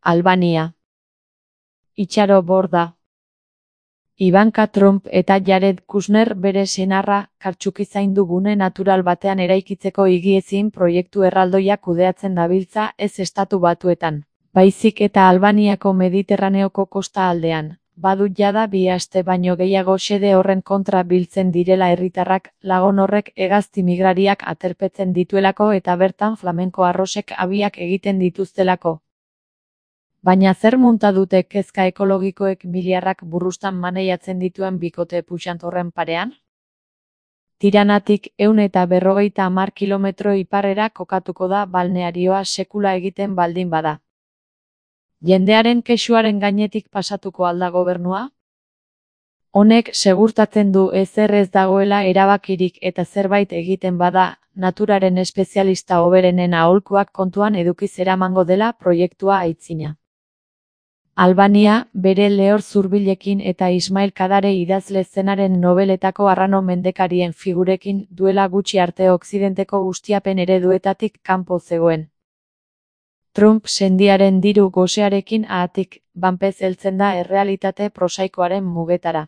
Albania. Itxaro Borda. Ivanka Trump eta Jared Kushner bere senarra Kartxuki zaindu gune natural batean eraikitzeko higiezin proiektu erraldoia kudeatzen dabiltza ez Estatu Batuetan, baizik eta Albaniako Mediterraneoko kosta aldean. Badu jada 2 aste baino gehiago xede horren kontra biltzen direla herritarrak, lagun horrek hegazti migrariak aterpetzen dituelako eta bertan flamenko arrosek abiak egiten dituztelako. Baina zer munta dute kezka ekologikoek miliarrak burrustan maneiatzen dituen bikote puxant horren parean? Tiranatik 150 kilometro iparrera kokatuko da balnearioa sekula egiten baldin bada. Jendearen kexuaren gainetik pasatuko alda gobernua? Honek segurtatzen du ezer ez dagoela erabakirik eta zerbait egiten bada, naturaren espezialista hoberenen aholkuak kontuan edukiz eramango dela proiektua aitzina. Albania, bere lehor zurbilekin eta Ismail Kadare idazle zenaren nobeletako arrano mendekarien figurekin duela gutxi arte Okzidenteko ustiapen ereduetatik kanpo zegoen. Trump sendiaren diru gosearekin ahatik, banpez heltzen da errealitate prosaikoaren mugetara.